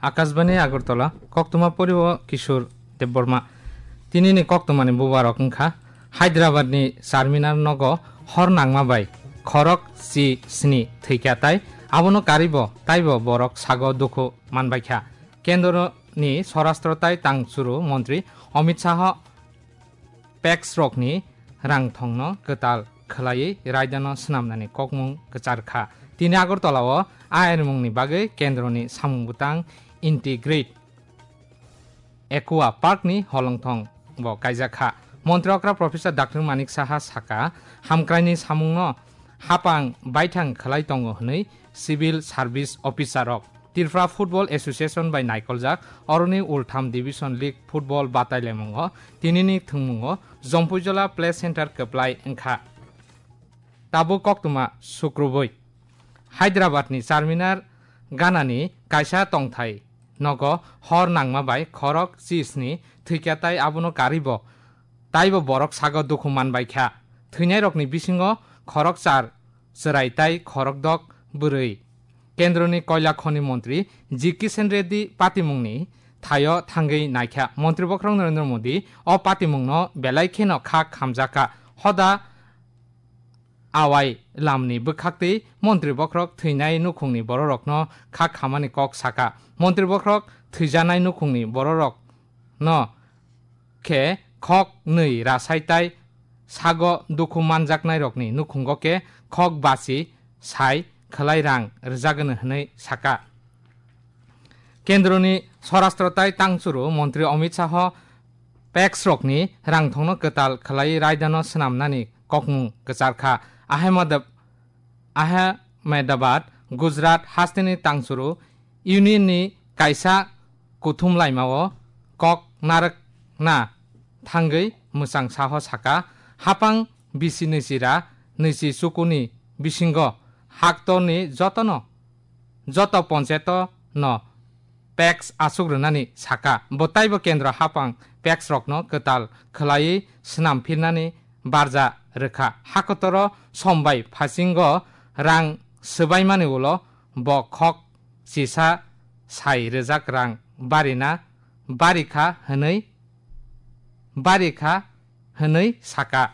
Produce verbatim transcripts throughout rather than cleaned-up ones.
Akashbani Agartala, koktwma poriwo Kishore Debbarma. Tinini koktwmani bubarok wngkha Hyderabadni Charminar nogo hor nangma bai khorok chi sni thwikha tai abono karibo taibo borok sago dukhu manbaikha. Kendroni Swarashtra tai Tang Churu Montri Amit Shah PACS rokni rangthongno kwtal khwlaiwi raidano swnamnani kokmung kwchar kha. Tini Agartala-o a erimungni bagwi kendroni samung bwtang Integrate Aqua Park ni holongthong bo kaijak kha. Montri okra Professor Doctor Manik Saha saka, hamkraini samungno hapang baithang khwlai tongo hwnwi Civil Service Officer rok. Tripura Football Association bai naikoljak oroni ultham Division League Football batailaimungo tinini thwngmungo Jompuijola Play Center kwplai wngkha. Tabuk koktwma sukrubui Hyderabad ni Charminar ganani kaisa tongthai nogo hor nangma bai khorok chisni thwikha tai abono karibo taibo borok sago dukhu manbaikha. Thwinairokni bisingo khorok char chwrai tai khorokdok bwrwi. Kendroni Koila Khoni Montri G Kishan Reddy patimungni thaio thangwi naikha. Montri bokhorok Narendra Modi o patimungno belai kheno kha khamjakha. Hoda awai lamni bwkhaktwi Montri bokhorok thwinai nukhungni bororokno kha khamani kok saka. Montri bokhorok thwijanai nukhungni bororokno khe khok nwi rasai tai sago dukhu manjaknairokni nukhungo khe khok basi sai khwlai rang rwjagwno hwnwi saka. Kendroni Swarashtra tai Tang Churu Montri Amit Shah PACS rokni rangthongno kwtal khwlai raidano swnamnani kokmung kwchar kha. Ahmedab-, Ahmedabad, Gujarat hasteni Tang Churu Union ni kaisa kuthum laimao kok narwkna thangwi mwchang saho saka, hapang bisi nwi chira nwi chi chukuni bisingo haktorni jotono, joto poncheto no PACS asuk rwnani saka. Bo taibo kendro hapang PACS rokno kwtal khwlaiwi swnam phirnani barja rwkha. Hakotoro sombai phasingo rang swbaimani ulo bo khok chisa sai rwjak rang barina barikha hwnwi, barikha hwnwi saka.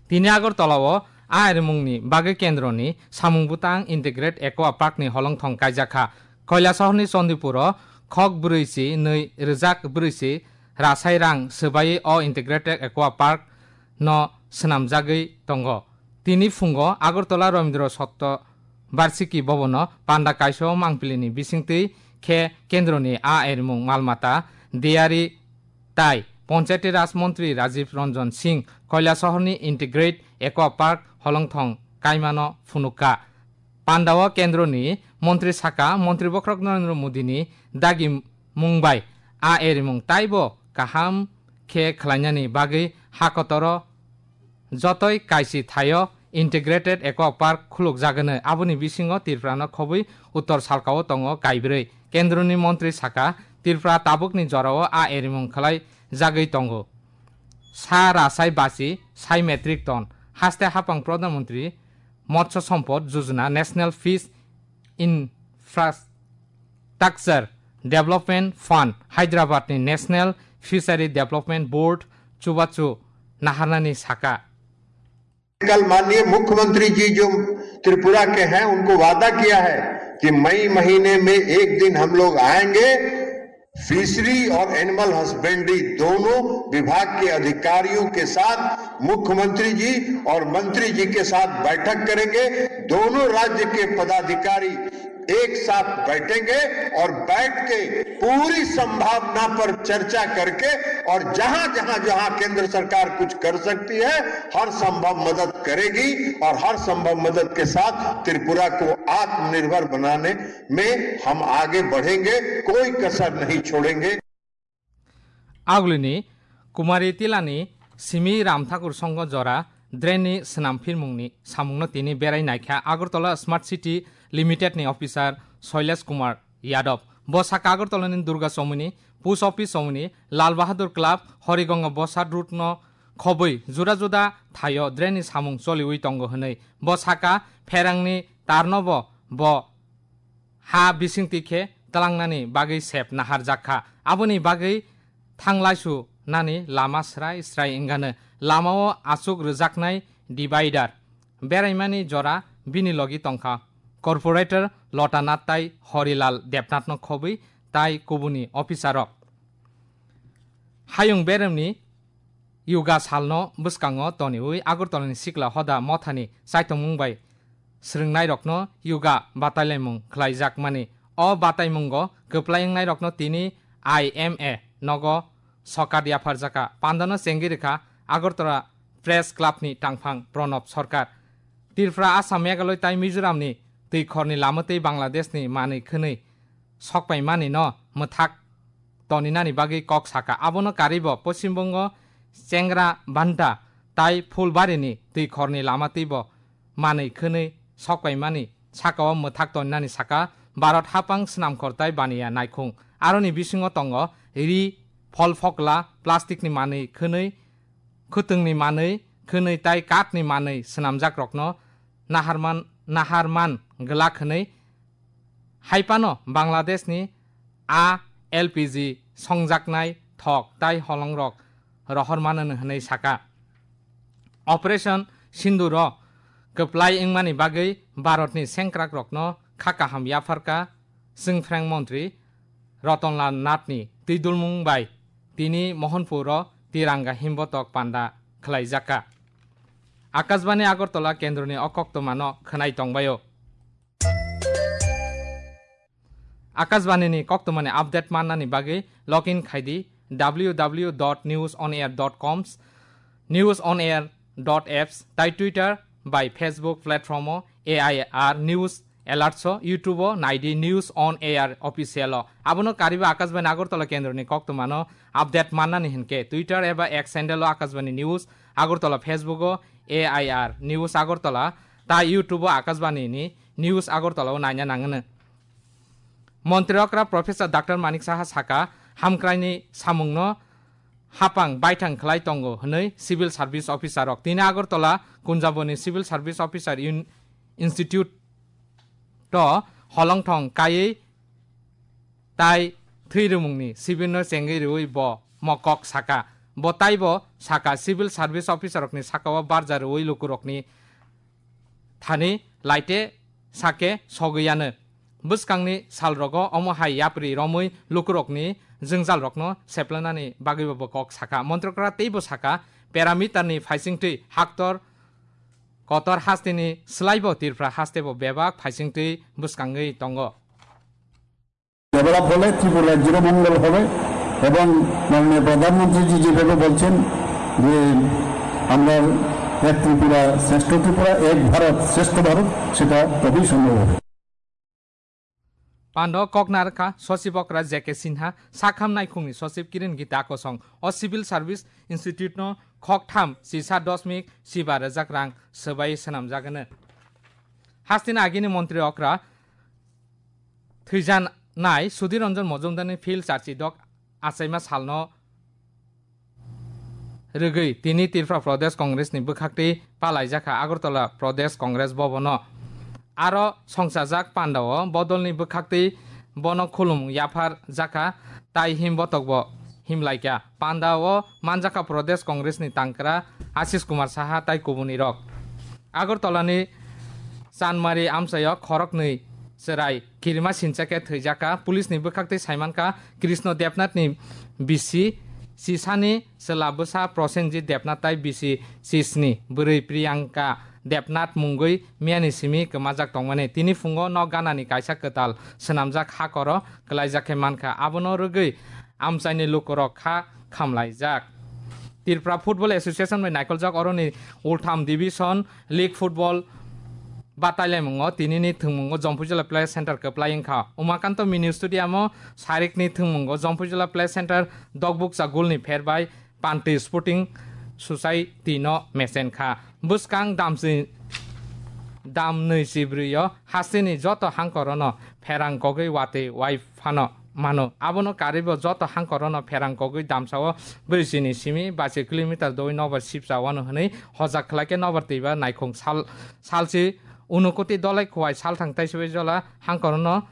Tini Agartala-o a erimungni bagwi kendroni samung bwtang Integrate Aqua Park ni holongthong kaijakha. Koilasohorni Chandipuro khok brwi si nwi rwjak brwi si rasai rang swbaiwi o Integrated Aqua Park no swnamjagwi tongo. Tini phungo Agartala Rabindra Satya Barshiki Bhavan-o panda kaisa mangpilini bisingtwi khe kendroni a erimung malmata diyari tai Panchayati Raj Montri Rajiv Ranjan Singh Koilasohorni Integrate Aqua Park holongthong kaimano phunukha. Pandao kendroni montri saka, Montri bokhorok Narendra Modini dagi mung bai a erimung taibo kaham khe khlainani bagwi hakotoro jotoi kaisi thaio Integrated Aqua Park khulukjagwno. Aboni bisingo Tripurano khobwi uttor salkao tongo kaibrwi. Kendroni montri saka, Tripura tabukni jorao a erimung khlai jagwi tongo. Sa rasai basi sai metric ton. Haste hapang Pradhan Mantri Matsya Sampad Yojana, National Fish Infrastructure Development Fund, Hyderabad ni National Fishery Development Board chubachu naharnani saka. कल माननीय मुख्यमंत्री जी जो त्रिपुरा के हैं, उनको वादा किया है कि मई महीने में एक दिन हम लोग आएंगे, फिशरी और एनिमल हस्बेंड्री दोनों विभाग के अधिकारियों के साथ मुख्यमंत्री जी और मंत्री जी के साथ बैठक करेंगे। दोनों राज्य के पदाधिकारी एक साथ बैठेंगे और बैठ के पूरी संभावना पर चर्चा करके और जहां, जहां, जहां केंद्र सरकार कुछ कर सकती है, हर संभव मदद करेगी और हर संभव मदद के साथ त्रिपुरा को आत्मनिर्भर बनाने में हम आगे बढ़ेंगे, कोई कसर नहीं छोड़ेंगे। Agulini Kumari Tilani simi Ram Thakur Songho jora drain ni swnam phirmungni samungno tini berai naikha Agartala Smart City Limited ni officer Shailesh Kumar Yadav. Bo saka Agartala ni Durga Chowmuni, Post Office Chowmuni, Lal Bahadur Club, Harigonga Bosad Road no khobwi juda juda thaio drain ni samung choliwi tongo hwnwi. Bo saka pherangni tarnobo bo ha bisingtwi khe tlangnani bagwi sep naharjak kha. Aboni bagwi thanglaisu nani lama srai srai wngano. Lamao achuk rwjaknai divider beraimani jora bini logi tongkha. Corporator Lotanath tai Horilal Debnathno khobwi tai kubuni officer rok. Hayung beremni Yoga salno bwskango toniwi Agartalani Sikla Hoda Mothani chaitongmung bai swrwngnairokno yoga batailaimung khlaijakmani. O bataimungo kwplai wngnairokno tini I M A nogo sokat yapharjakha. Pandano chengwi rwkha Agartala Press Clubni tangphang Pranab Sarkar. Tripura, Assam, Meghalaya tai Mizoramni twi khorni lama tei Bangladeshni manwi khwnwi sokpaimani no mwthak toninani bagwi kok sakha. Abono karwibo Poschim Bongo Chengra Banta tai Phulbarini twi khorni lama twibo manwi khwnwi sokpaimani sakao mwthak toninani saka Bharat hapang swnamkhor tai baniya naikhung. Aroni bisingo tongo ri, phol phokla, plasticni manwi khwnwi, khwtwngni manwi khwnwi tai kathni manwi swnamjakrokno naharman, naharman glak hwnwi hai phano Bangladeshni a L P G songjaknai thok tai holongrok rohor mano hwnwi saka. Operation Sinduro kwplai wngmani bagwi Bharatni sengkrakrokno kha kaham yapharkha chwngphreng montri Ratanlal Nathni twidulmung bai tini Mohanpuro Tiranga himbotok panda khlaijakha. Akashbani Agartala kendroni o koktwmano khwnai tongbaio. Akashbanini koktwmani update mannani bagwi log in khaidi W W W dot news on air dot com, News on Air dot apps, tai Twitter bai Facebook platform o A I R News Alerts o, YouTube o naidi News on Air Official o. Abono kariba Akashbani Agartala kendroni koktwmano update mannani hinkhe Twitter eba X handle o Akashbani News Agartala, Facebook o A I R News Agartala, tai YouTube o Akashbani ni News Agartala o naina nangano. Montri okra Professor Doctor Manik Saha saka, hamkraini samungno hapang baithang khlai tongo hwnwi Civil Service Officer rok. Tini Agartala Kunjaboni Civil Service Officer Un-, Institute to holongthong kaiwi tai thwi rwmungni sibirno chengwi rwui bo mokok saka. Bo taibo saka, Civil Service Officer rokni sakao barja rwui lukurokni thani laite sake sogwi yano. Bwskangni salrogo omo hai yapri romwi lukurokni jwngjalrokno seplanani bagwibo bo kok saka. Montrokra teibo saka, parameterni phaisingtwi haktor kotor hasteni swlaibo Tripura hastebo bebak phaisingtwi bwskangwi tongo. Develop হলে ত্রিপুরা রাজ্যেরও মঙ্গল হবে এবং মাননীয় প্রধানমন্ত্রীজি যেভাবে বলছেন যে আমরা এক ত্রিপুরা শ্রেষ্ঠ ত্রিপুরা, এক ভারত শ্রেষ্ঠ ভারত, সেটা তবেই সম্ভব হবে। Pando koknarkha Sosibokra J K Sinha, Sakham Naikhungni Sosib Kiren Gita Kosong, o Civil Service Institute no khoktham sisa dosmik siba rwjak rang swbai swnamjagano. Hasteni agini Montri okra thwijanai Sudhir Ranjan Majumdarni phil charchi dok achaima salno rwgwi tini Tripura Pradesh Congress ni bwkhaktwi palaijakha Agartala Pradesh Congress Bhavan o. Aro songchajak pandao bodolni bwkhaktwi bono khulumung yaphar jakha tai him botokbo himlaikha. Pandao manjakha Pradesh Congress ni tangkra Ashish Kumar Saha tai kubunirok. Agartala ni Chanmari amchaio khoroknwi chwrai kirima sincha khe thwijak kha. Police ni bwkhaktwi saimankha Krishna Debnath ni bisi sisani chwla bwsa Prosenjit Debnath tai bisi sisni bwrwi Priyanka Debnath mungwi miyani simi kwmajak tongmani. Tini phungo nok ganani kaisa kwtal swnamjak hakoro kwlaijak khe mankha. Abono rwgwi amchaini lukurok kha khamlaijak. Tripura Football Association bai naikoljak oroni Ultham Division League Football batailamungo tinini thwngmungo Jompuijala Play Center kwplai wngkha. Umakanto Mini Stadium o sarikni thwngmungo Jompuijala Play Center Dokbukcha gulni pher bai Panti Sporting Society no mechen kha. Bwskang damsi-, dam nwi chibrwi o hasteni joto hangkorono pherang kogwi watwi wai phano mano. Abono karwibo joto hangkorono pherang kogwi damsao brwsini simi bachi kilometer doi nobar sipsa wano hwnwi hojak khlaikhe nobar twiba naikhung sal-, salsi Unukoti Dolai Khowai salthang taisibaijola hangkorono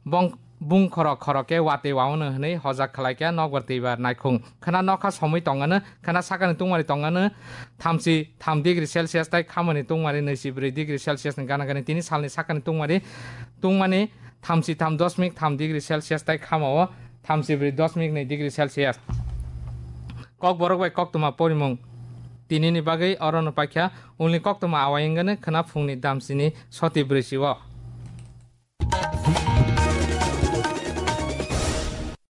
bong-, bung khoro khoro khe watwi waono hwnwi hojak khlaikha nokbar twibar naikhung. Khwna nokha somwi tongano, khwna sakani tungmari tongano thamsi tham degree Celsius tei khamani tungmari naichi bwrwi degree Celsius ni gana gani tini salni sakani tungmari tungmani thamsi tham dosmik tham degree Celsius tei khamao thamsi bwrwi dosmik nai degree Celsius. Kokborok bai koktwma porimung. Tinini bagwi orono paikha ulni koktwma awai wngani khwna phungni damsini soti bwrwi sio.